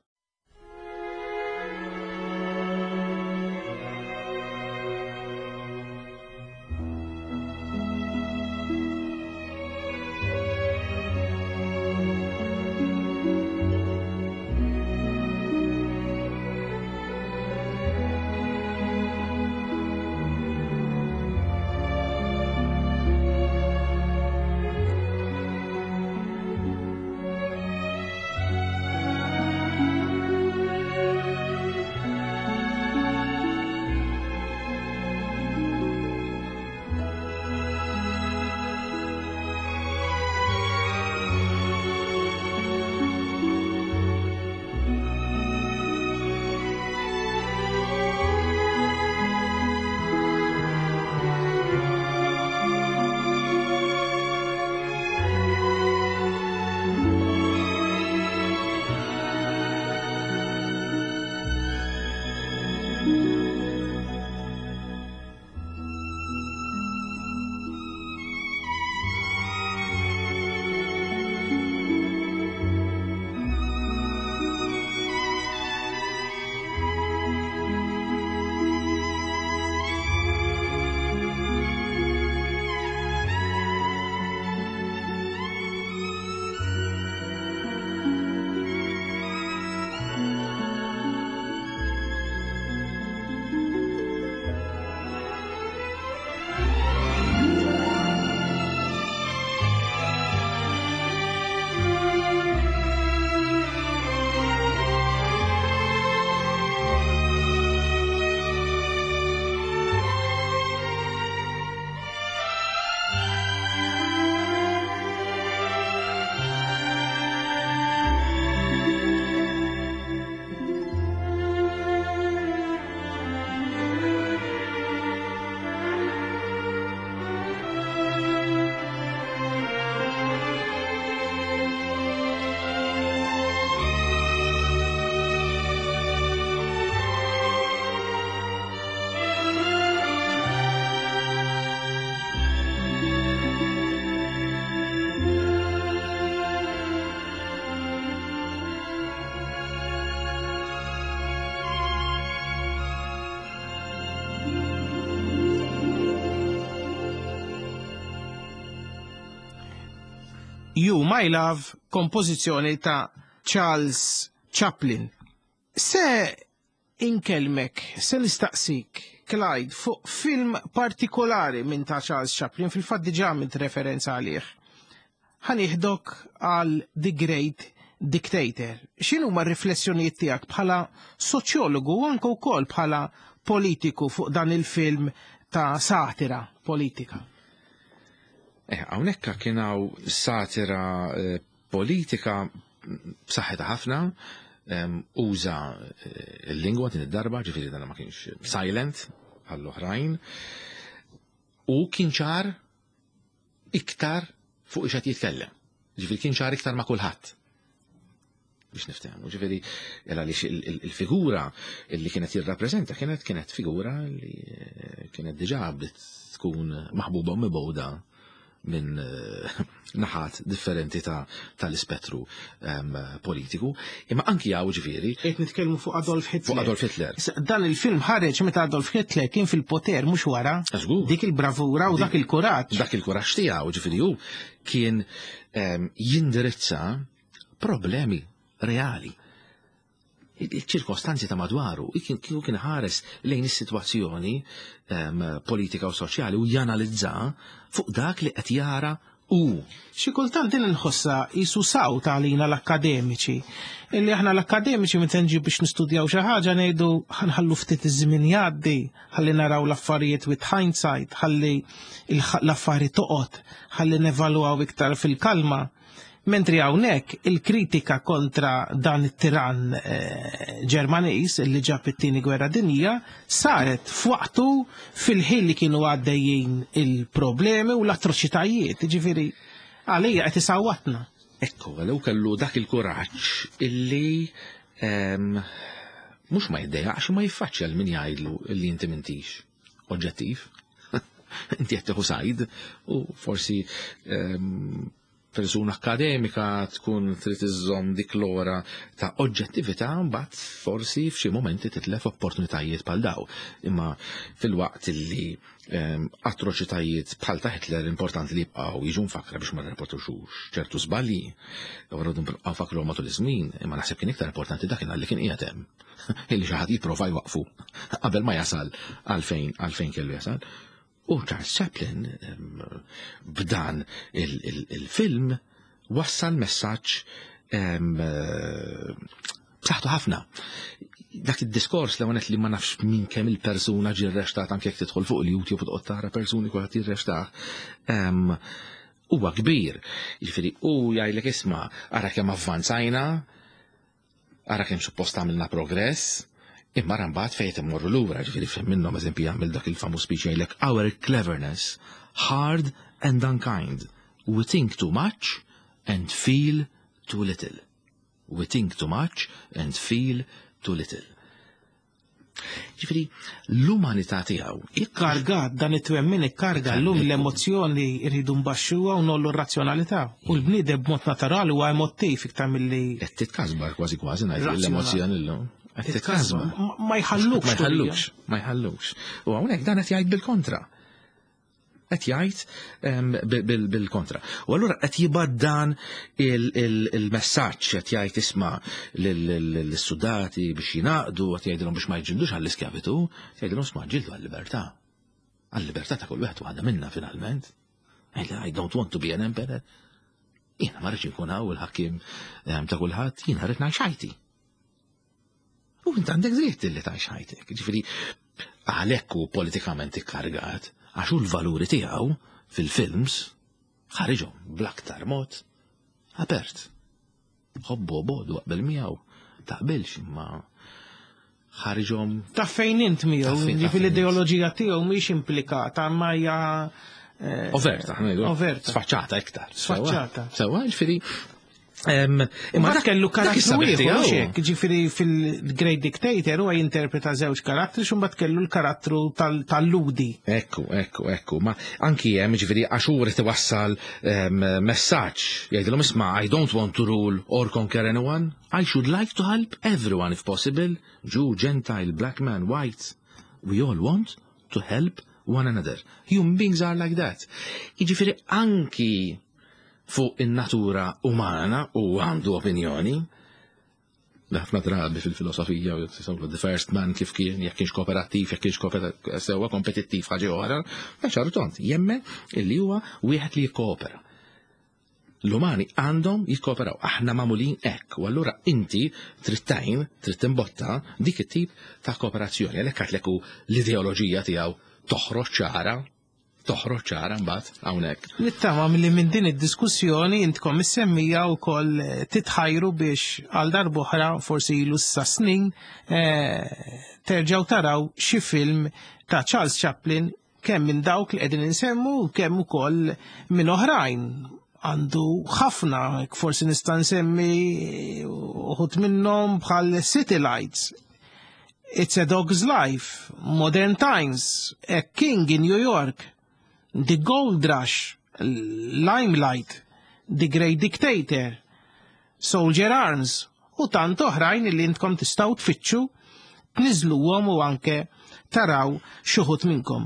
You My Love, kompożizzjoni ta' Charles Chaplin. Se inkellmek, se nistaqsik, Clyde, fuq film partikolari minn ta' Charles Chaplin, fil-fatt diġà għamilt referenza għalih. Ħa nieħdok għal The Great Dictator. X'inhuma r-riflessjonijiet tiegħek bħala soċjologu u anke wkoll bħala politiku fuq dan il-film ta' satira politika? Eh, hawnhekk kien hawn satira eh, politika b'saħħitha ħafna, uża eh, l-lingwa din id-darba, ġifieri dan ma kienx silent għall-oħrajn, u kien ċar iktar fuq ix jitkellem. Ġifieri kien ċar iktar ma' kulħadd biex niftehmu. Ġifieri għaliex il-figura li kienet jirrappreżenta kienet kienet figura li eh, kienet diġà bdiet tkun maħbuba u mibgħuda minn eh, naħat differenti tal-ispettru ehm, politiku. Imma anki għaw ġifieri. Qed nitkellmu fuq Adolf Hitler. Fuq Adolf Hitler. Dan il-film ħareġ meta Adolf Hitler kien fil-poter mhux wara. Dik il-bravura u dak il-kuraġġ. Dak il-kuraġġ tiegħu ġifieri hu kien ehm, jindirizza problemi reali il-ċirkostanzi ta' madwaru, kieku kien ħares lejn is-sitwazzjoni ehm, politika u soċjali u janalizza fuq dak li qed jara u. Xi kultant din inħossha qisu sawt għalina l-akkademiċi. Illi aħna l-akkademiċi meta nġi biex nistudjaw xi ħaġa ngħidu ħanħallu ftit iż-żmien jgħaddi, ħalli naraw l-affarijiet with hindsight, ħalli l-affarijiet toqgħod, ħalli nevalwaw iktar fil-kalma. Mentri hawnhekk il-kritika kontra dan it-tirann eh, Ġermaniż li ġab it-tieni gwerra dinjija saret f'waqtu fil-ħin li kienu għaddejjin il-problemi u l-atroċitajiet, ġifieri għalija qed isawwatna. Ekku, għallu kellu dak il-kuraġġ illi ehm, mhux ma jiddejaqx ma jiffaċċja l min jgħidlu illi inti m'intix oġġettiv. Inti qed tieħu sajd u forsi ehm, persuna akkademika tkun trid iżżomm dik l-ora ta' oġġettività mbagħad forsi f'xi momenti titlef opportunitajiet bħal daw. Imma fil-waqt li ehm, atroċitajiet bħal ta' Hitler importanti li jibqgħu jiġu mfakra biex ma nirrepetux ċertu żbalji, u rridu nibqgħu nfakru matul iż-żmien, imma naħseb kien iktar importanti dakinhar li kien qiegħed hemm. Illi xi ħadd jipprova jwaqfu qabel ma jasal għalfejn għalfejn kellu jasal. U Charles Chaplin b'dan il-film wassal messaġġ b'saħħtu ħafna. Dak id-diskors li għonet li ma nafx minn kemm il-persuna ġie rrextat anke jekk tidħol fuq il-YouTube u toqgħod tara persuni kulħadd jirrextah. Huwa kbir. Jiġifieri hu jgħidlek isma' ara kemm avvanzajna, Ara kemm suppost għamilna progress, imma ara mbagħad fejn qed immorru lura, ġifieri f'hemm minnhom eżempju jagħmel dak il-famuż speech jgħidlek our cleverness, hard and unkind. We think too much and feel too little. We think too much and feel too little. Ġifieri l-umanità tiegħu. Ikkargat dan it-twemmin ikkarga llum l-emozzjoni rridu nbaxxuha u nollu r-razzjonalità. U l-bniedem b'mod naturali huwa emottiv iktar milli. Qed titkasbar kważi kważi ngħid l-emozzjoni llum. Qed titkasbar. Ma jħallukx. Ma jħallukx, ma jħallukx. U hawnhekk dan qed jgħid bil-kontra. Qed jgħid ehm, bil-kontra. U allura qed jibgħat dan il-messaġġ qed jgħid isma' lis-sudati biex jingħaqdu, qed jgħidilhom biex ma jġildux għall-iskjavitu, jgħidilhom isma' ġildu għall-libertà. Għall-libertà ta' kull wieħed waħda minna finalment. I don't want to be an emperor. Jiena ma rridx inkun hawn il-ħakkim ehm, ta' kulħadd, jiena rrid ngħix ħajti. U int għandek dritt li tgħix ħajtek. Ġifieri għalhekk hu politikament ikkargat għax hu l-valuri tiegħu fil-films ħariġhom bl-aktar mod apert. Ħobbu bodu qabel miegħu, taqbilx imma ħariġhom. Ta' fejn int miegħu, ġifieri l-ideoloġija tiegħu mhix implikata ma hija eh, Overta, overta. Sfaċċata iktar. Sfaċċata. Sewa, ġifieri Imma dak kellu karattru ieħor hekk, ġifieri fil-Great Dictator huwa jinterpreta żewġ karattri x'imbagħad kellu l-karattru tal-ludi. Ekku, ekku, ekku. Ma anki hemm ġifieri għax hu rid iwassal messaġġ jgħidilhom isma' I don't want to rule or conquer anyone. I should like to help everyone if possible, Jew, Gentile, black man, white. We all want to help one another. Human beings are like that. Jiġifieri anki fuq in-natura umana u għandu opinjoni. Ħafna drabi fil-filosofija, the first man kif kien, jekk kienx kooperattiv, jekk kienx sewwa kompetittiv ħaġa oħra, ma ċartont, jemmen illi huwa wieħed li jikkoopera. L-umani għandhom jikkooperaw, aħna magħmulin hekk, u allura inti trid tgħin, trid timbotta dik it-tip ta' kooperazzjoni, għalhekk għadlek l-ideoloġija tiegħu toħroġ ċara, toħroġ ċara mbagħad hawnhekk. Nittama li minn din id-diskussjoni intkom is-semmija wkoll titħajru biex għal darb'oħra forsi ilu sa snin terġgħu taraw xi film ta' Charles Chaplin, kemm minn dawk li qegħdin insemmu kemm ukoll minn oħrajn. Għandu ħafna, forsi nista' nsemmi uħud minnhom bħal City Lights, It's a Dog's Life, Modern Times, A King in New York, The Gold Rush, Limelight, The Great Dictator, Soldier Arms, u tant oħrajn li intkom tistgħu tfittxu, tniżluhom u anke taraw xi wħud minnkom.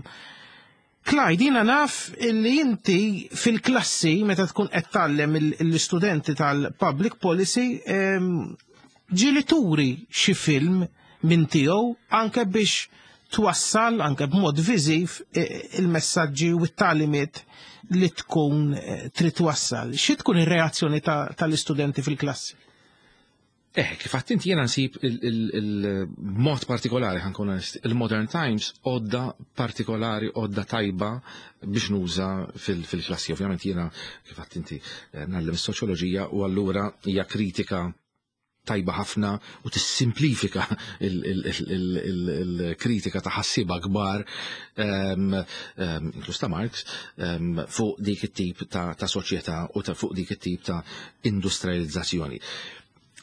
Clyde, jiena naf illi inti fil-klassi meta tkun qed tgħallem l-istudenti tal-public policy ġieli turi xi film minn tiegħu anke biex twassal anke b'mod viżiv il-messaġġi u t-tagħlimiet li tkun trid twassal. Xi tkun ir-reazzjoni tal-istudenti fil-klassi? Kif għedt inti, jiena nsib il-mod partikolari, ħa nkun onest, il-Modern Times għodda partikolari, għodda tajba biex nuża fil-klassi. Ovvjament jiena, kif għedt inti, ngħallem is-soċjoloġija u allura hija kritika tajba ħafna u tissimplifika il-kritika ta' ħassiba kbar, inkluż ta' Marx, fuq dik it-tip ta' soċjetà u fuq dik it-tip ta' industrializzazzjoni.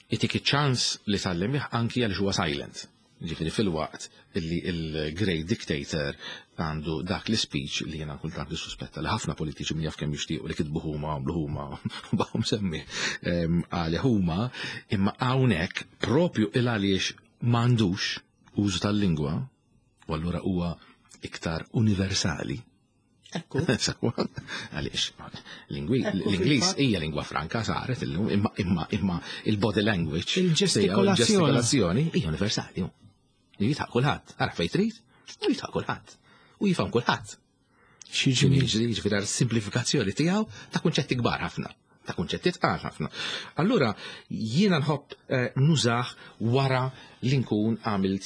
Itik iċ-ċans li tgħallem anki għal huwa silent. Ġifieri fil-waqt illi il-Great Dictator għandu dak l-speech li jena kultant suspetta li ħafna politiċi min jaf kemm jixtiequ li kitbu huma, għamlu huma, baqgħu semmi għali huma, imma hawnhekk propju il għaliex m'għandux użu tal-lingwa, u allura huwa iktar universali. Ekku. Sewwa, għaliex, l-Ingliż hija lingwa franka saret illum, imma il-body language, Il-ġestikolazzjoni. Il-ġestikolazzjoni hija universali. Li jidħaq kulħadd, ara fejn trid, u jidħaq kulħadd. U jifhem kulħadd. Xi ġmiel. Ġifieri simplifikazzjoni tiegħu ta' kunċetti kbar ħafna, ta' kunċetti tqal ħafna. Allura jiena nħobb nużah wara li nkun għamilt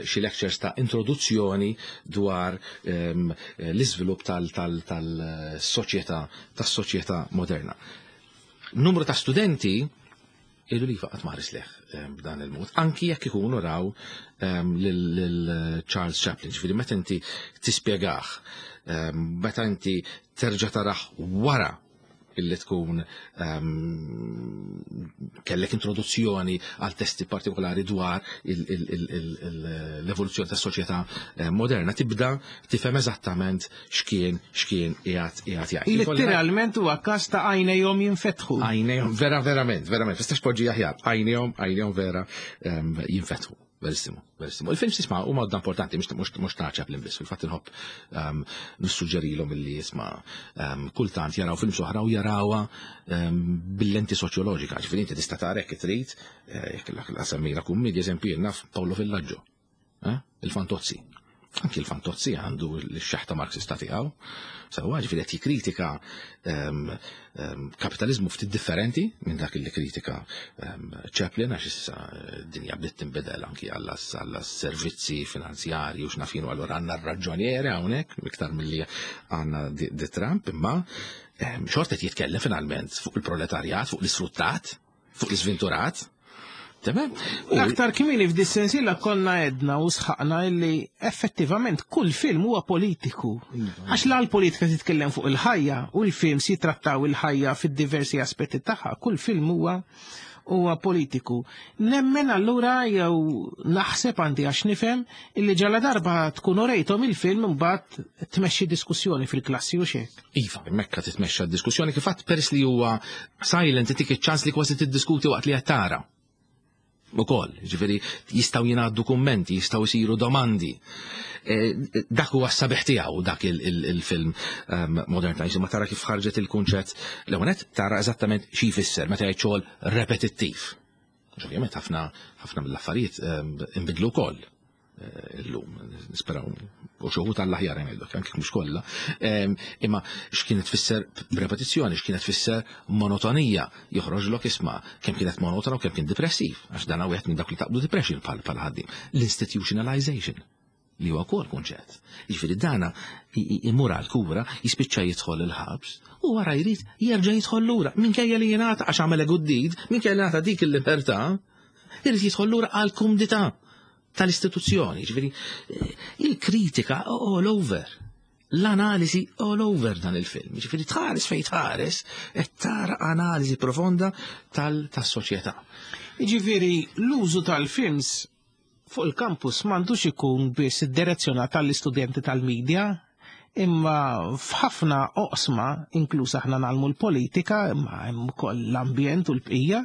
xi lectures ta' introduzzjoni dwar l-iżvilupp tal-soċjetà tas-soċjetà moderna. Numru ta' studenti jgħidu li faqat maħris leħ b'dan il-mod, anki jekk ikunu raw lil Charles Chaplin, ġifieri meta inti tispjegah, meta inti terġa' tarah wara illi tkun kellek introduzzjoni għal testi partikolari dwar l-evoluzzjoni tas soċjetà moderna, tibda tifhem eżattament x'kien qiegħed jgħid. Letteralment huwa każ ta' għajnejhom jinfetħu. Għajnejhom, vera, verament, verament, tistax poġġi aħjar, għajnejhom vera jinfetħu. Verissimo, verissimo. Il-film sisma huma għodda importanti, mhux ta' Chaplin biss, fil-fatt inħobb nissuġġerilhom illi jisma' kultant jaraw film oħra u jarawha bil-lenti soċjoloġika. Ġifieri inti tista' tara jekk trid, jekk la semmejna kummedja, eżempju jien naf Paolo Villaggio, il-Fantozzi. Anki il-Fantozzi għandu l-xeħta marxista tiegħu. Sewwa, ġifieri qed jikkritika kapitalizmu ftit differenti minn dak li kritika Chaplin, għax issa d-dinja bdiet tinbidel anki għall servizzi finanzjarji u x'nafinu, allura għandna r-raġġonieri hawnhekk iktar milli għandna di Trump, imma xorta qed jitkellem finalment fuq il-proletarjat, fuq l-isfruttat, fuq l-iżventurat. Tamam? L-aktar kmieni f'dis-sensiela konna edna u sħaqna illi effettivament kull film huwa politiku. Għax la l-politika titkellem fuq il-ħajja u l-films jitrattaw il-ħajja fid-diversi aspetti tagħha, kull film huwa politiku. Nemmen allura jew naħseb għandi għax nifhem illi ġala darba tkun orejthom il-film mbagħad tmexxi diskussjoni fil-klassi u xek. Iva, mekka titmexxa diskussjoni kif għadd peress li huwa silent itik iċ-ċans li kważi tiddiskuti waqt li qed tara. Ukoll, ġifieri jistgħu jingħaddu kummenti, jistgħu jsiru domandi. E, dak huwa s-sabiħ tiegħu dak il-film Modern Times, imma tara kif ħarġet il-kunċett l-ewwel tara eżattament xi jfisser meta jgħid xogħol repetittiv. Ovvjament ħafna ħafna mill-affarijiet inbidlu wkoll. Eh, illum, nisperaw, u xoħu tal-aħjar ngħidlek, anke mhux kollha. Imma x'kienet tfisser repetizzjoni, x'kienet tfisser monotonija, joħroġlok isma' kemm kienet monotona u kemm kien depressiv, għax dan wieħed minn dak li taqbdu depression bħal bħal ħaddiem. L-institutionalization li huwa wkoll kunċett. Jiġifieri dana imur għal kura, jispiċċa jidħol il-ħabs u wara jrid jerġa' jidħol lura minkejja li jingħata għax għamel good deed, minkejja li ngħata dik il-libertà, irid jidħol lura għal kumdità tal-istituzzjoni, ġifieri il-kritika all over. L-analiżi all over dan il-film. Ġifieri tħares fejn tħares qed tara analiżi profonda tas-soċjetà. Ġifieri l-użu tal-films fuq il-kampus m'għandux ikun biss iddirezzjonat għall-istudenti tal-medja, imma f'ħafna oqsma, inkluż aħna nagħmlu l-politika, imma hemm ukoll l-ambjent u l-bqija,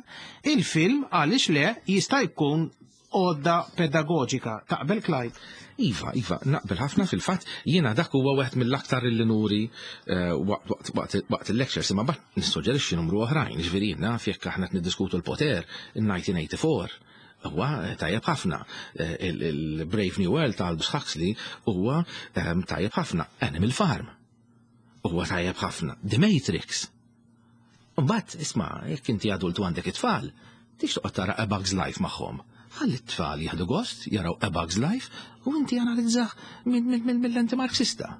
il-film għaliex le jista' jkun għodda pedagoġika. Taqbel Clyde? Iva, iva, naqbel ħafna fil-fatt jiena dak huwa wieħed mill-aktar li nuri eh, waqt il-lectures imma bat nissuġġerixxi numru oħrajn, ġifieri naf jekk aħna qed niddiskutu l-poter in-1984 huwa eh, tajjeb ħafna. Eh, il-Brave New World ta' Aldous Huxley huwa ehm, tajjeb ħafna. Animal Farm huwa tajjeb ħafna. The Matrix. Mbagħad isma' jekk inti adult u għandek it-tfal, tix toqgħod tara A Bug's Life magħhom. Ħalli t-tfal jieħdu gost jaraw A Bug's Life u inti analizzah mill-lenti Marxista.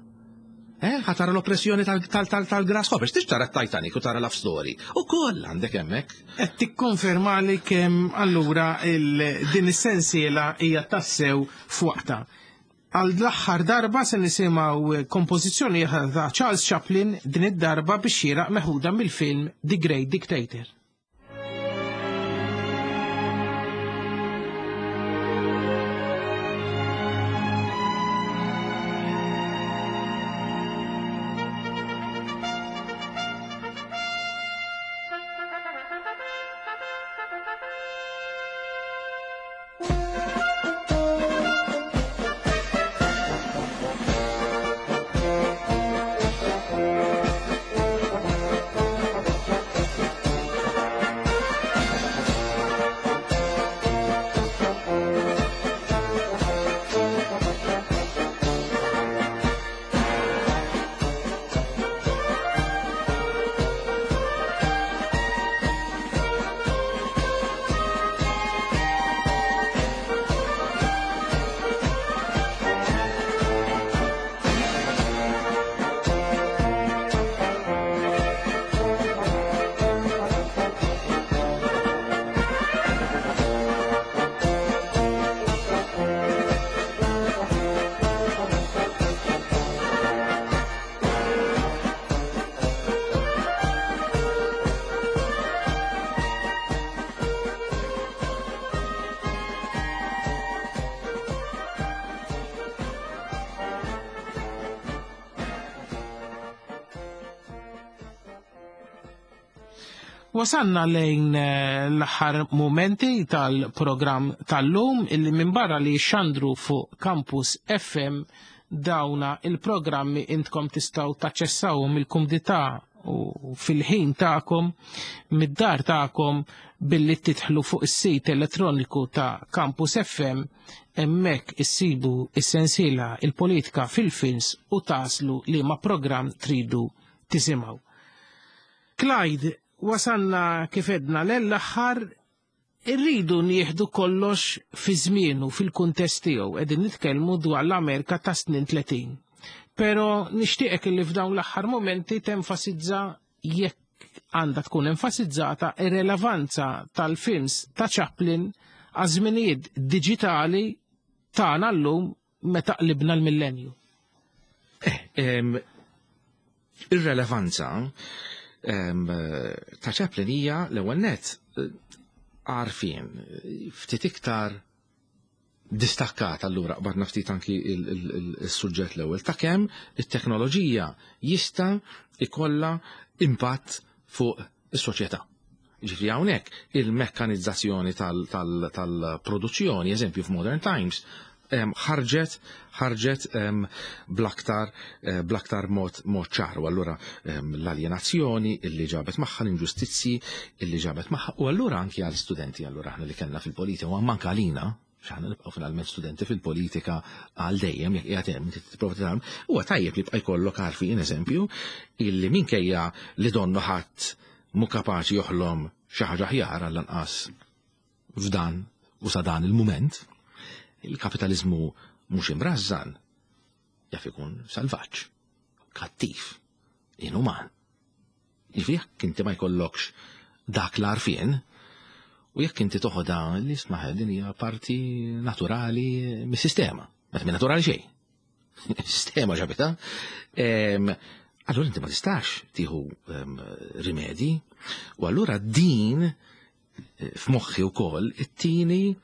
Eh, ħa tara l-oppressjoni tal-grasshoppers, tix tara Titanic u tara Love Story. U koll għandek hemmhekk. Qed tikkonferma li kemm allura din is-sensiela hija tassew f'waqta. Għal l-aħħar darba se nisimgħu kompożizzjoni ta' Charles Chaplin din id-darba biex xieraq meħuda mill-film The Great Dictator. Wasanna lejn eh, l-aħħar momenti tal-programm tal-lum illi minn barra li xandru fuq Campus FM dawna il-programmi intkom tistaw taċċessawhom il-kumdità u fil-ħin tagħkom mid-dar tagħkom billi titħlu fuq is-sit elettroniku ta' Campus FM hemmhekk issibu is-sensiela il-politika fil-films u taslu li ma' programm tridu tisimgħu. Clyde, wasalna kif edna l-aħħar irridu nieħdu kollox fi żmienu fil-kuntest tiegħu qegħdin nitkellmu dwar l-Amerika ta' snin 30. Pero nixtieqek li f'dawn l-aħħar momenti tenfasizza jekk għandha tkun enfasizzata ir-relevanza tal-films ta' Chaplin għaż-żminijiet diġitali tagħna llum meta qlibna l-millenju. Eh, Ir-relevanza ta' Chaplin hija l-ewwel nett eh, għarfien ftit iktar distakkat allura qbadna ftit anki il-suġġett l-ewwel ta' kemm it-teknoloġija jista' ikollha impatt fuq is-soċjetà. Ġifri hawnhekk il-mekkanizzazzjoni tal-produzzjoni, eżempju f'Modern Times, ħarġet ħarġet bl-aktar eh, bl-aktar mod mod ċar. U allura l-aljenazzjoni illi ġabet magħha l-inġustizzji illi ġabet magħha u allura anki għal studenti allura aħna li kellna fil-politika u anke għalina x'aħna nibqgħu finalment studenti fil-politika għal dejjem jekk qiegħed hemm inti tipprova titgħallem, huwa tajjeb li jibqa' jkollok għarfien eżempju illi minkejja li donnu ħadd mhu kapaċi joħlom xi ħaġa aħjar għall-anqas f'dan u sa dan il-mument, il-kapitaliżmu mhux imrażżan jaf ikun salvaġġ, kattiv, inuman. Jiġifieri jekk inti ma jkollokx dak l-għarfien, u jekk inti toħodha li isma' din hija parti naturali mis-sistema. Meta minn naturali xejn. Sistema ġabita. Allura inti ma tistax tieħu rimedi u allura din eh, f'moħħi wkoll it-tieni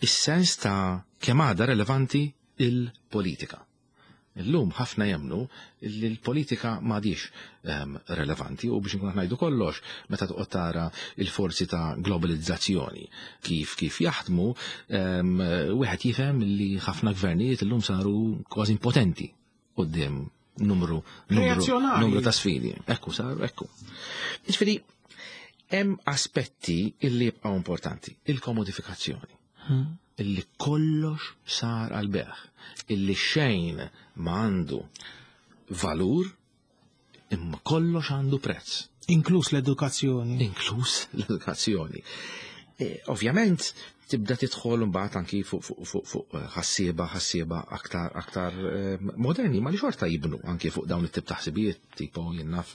is-sens ta' kemm għadha relevanti il-politika. Illum ħafna jemmnu li l-politika m'għadhiex ehm, relevanti u biex nkun ngħidu kollox meta toqgħod tara il-forzi ta' globalizzazzjoni kif kif jaħdmu ehm, wieħed jifhem li ħafna gvernijiet illum saru kważi impotenti quddiem numru numru, numru ta' sfidi. Ekku saru ekku. Jiġifieri hemm aspetti illi jibqgħu importanti, il-komodifikazzjoni. Hmm. Illi kollox sar għal beħ, illi xejn ma għandu valur, imma kollox għandu prezz. Inkluż l-edukazzjoni. Inkluż l-edukazzjoni. E, ovvjament, tibda tidħol mbagħad anki fuq fu, fu, fu, ħassieba ħassieba aktar aktar eh, moderni ma li xorta jibnu anki fuq dawn it-tip ta' ħsibijiet tipo jien naf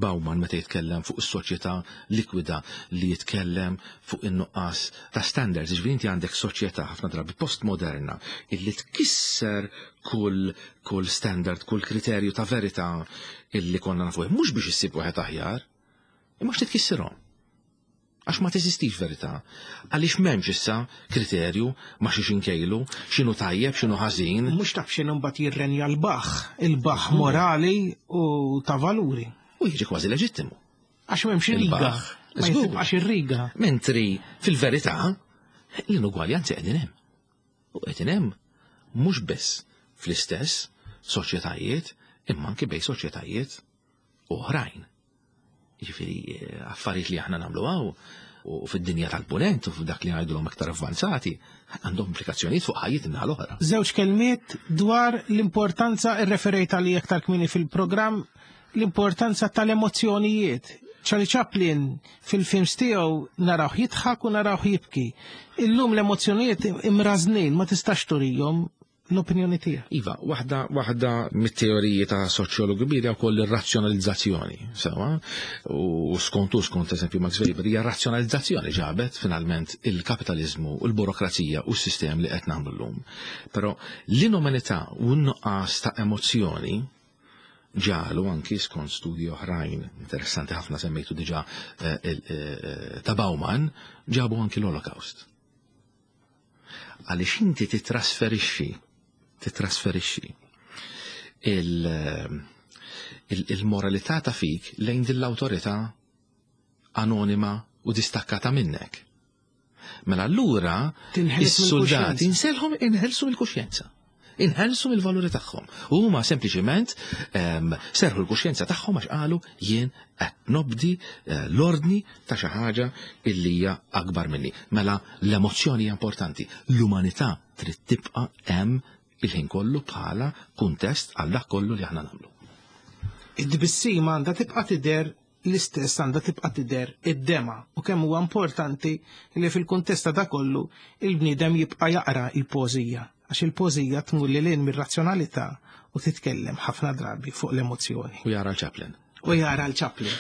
Bauman meta jitkellem fuq is-soċjetà likwida li jitkellem fuq in-nuqqas ta' standards, jiġifieri inti għandek soċjetà ħafna drabi postmoderna illi tkisser kull kull standard, kull kriterju ta' verità illi konna nafuh, mhux biex issib wieħed aħjar, imma għax titkissirhom. Għax ma teżistix verità. Għaliex m'hemmx issa kriterju ma xiex inkejlu, x'inhu tajjeb, x'inhu ħażin. Mhux taf x'inhu mbagħad jirrenja l-baħħ, il-baħħ morali u ta' valuri. U jiġi kważi leġittimu. Għax m'hemmx riga. Ma jibqax ir-riga. Mentri fil-verità l-inugwaljanzi qegħdin hemm. U qegħdin hemm mhux biss fl-istess soċjetajiet imma anke bejn soċjetajiet oħrajn. Jiġifieri eh, affarijiet li aħna nagħmlu hawn u fid-dinja tal-punent u f'dak li ngħidulhom aktar avvanzati għandhom implikazzjonijiet fuq ħajjiet in l-oħra. Żewġ kelmiet dwar l-importanza irreferejt għalija aktar kmieni fil-programm l-importanza tal-emozzjonijiet. Charlie Chaplin fil-films tiegħu narawh jidħak u narawh jibki. Illum l-emozzjonijiet imrażnin ma tistax turihom l-opinjoni tiegħek. Iva, waħda waħda mit-teoriji ta' soċjologu kbir hija wkoll ir-razzjonalizzazzjoni, sewa, u skont u skont eżempju Max Weber hija razzjonalizzazzjoni ġabet finalment il-kapitaliżmu u l-burokrazija u s-sistem li qed nagħmlu llum. Però l-inumanità u n-nuqqas ta' emozzjoni ġalu anki skont studji oħrajn interessanti ħafna semmejtu diġà eh, eh, ta' Bauman ġabu anki l-Holocaust. Għaliex inti titrasferixxi, titrasferixxi il-moralità ta' fik lejn din l-awtorità anonima u distakkata minnek. Mela allura is-soldati inselħom inħelsu mill-kuxjenza. Inħelsu mill-valuri tagħhom. U huma sempliċiment ehm, serħu l-kuxjenza tagħhom għax qalu jien qed nobdi eh, l-ordni ta' xi ħaġa illi hija akbar minni. Mela l-emozzjoni hija importanti. L-umanità trid tibqa' hemm il-ħin kollu bħala kuntest għal dak kollu li aħna nagħmlu. Id-tbissima għandha tibqa' tidher l-istess għandha tibqa' tidher id-dema u kemm huwa importanti li fil-kuntest ta' kollu il-bniedem jibqa' jaqra l-poeżija għax il-poeżija tmur lil hinn mir-razzjonalità u titkellem ħafna drabi fuq l-emozzjoni. U jara l-Chaplin. U jara l-Chaplin.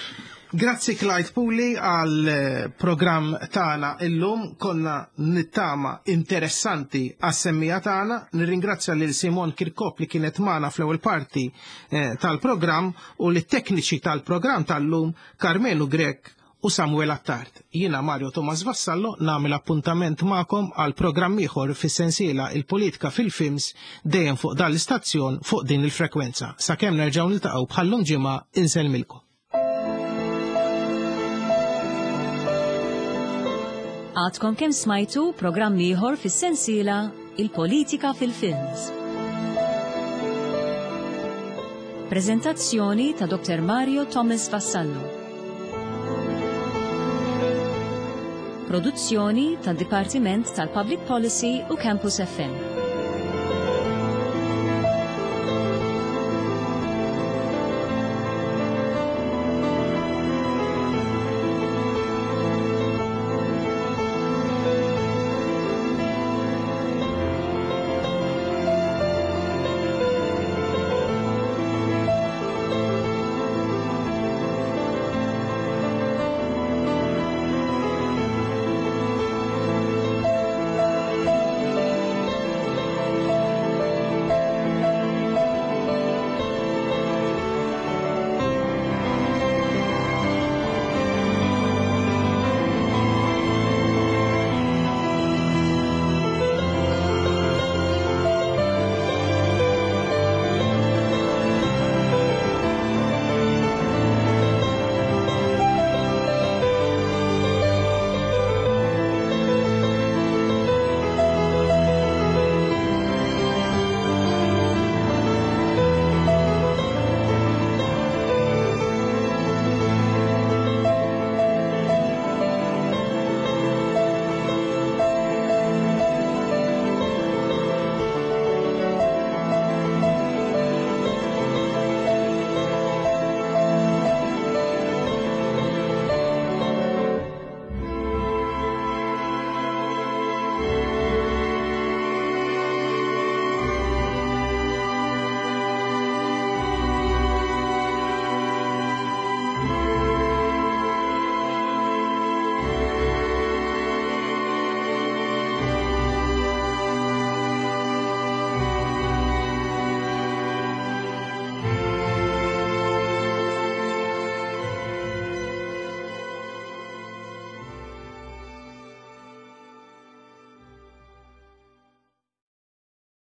Grazzi Clyde Puli għal eh, programm tagħna illum konna nittama interessanti għas-semmija tagħna. Nirringrazzja lil Simon Kirkop li kienet magħna fl-ewwel parti eh, tal-programm u lit-tekniċi tal-programm tal-lum Karmenu Grech u Samuel Attard. Jiena Mario Thomas Vassallo nagħmel appuntament magħkom għal programm ieħor fis-sensiela Il-Politika fil-Films dejjem fuq dan l-istazzjon fuq din il-frekwenza. Sakemm nerġgħu niltaqgħu bħal-lum ġimgħa insellmilkom. Għadkom kemm smajtu programm ieħor fis-sensiela Il-Politika fil-Films. Prezentazzjoni ta' Dr. Mario Thomas Vassallo. Produzzjoni tad Dipartiment tal-Public Policy u Campus FM.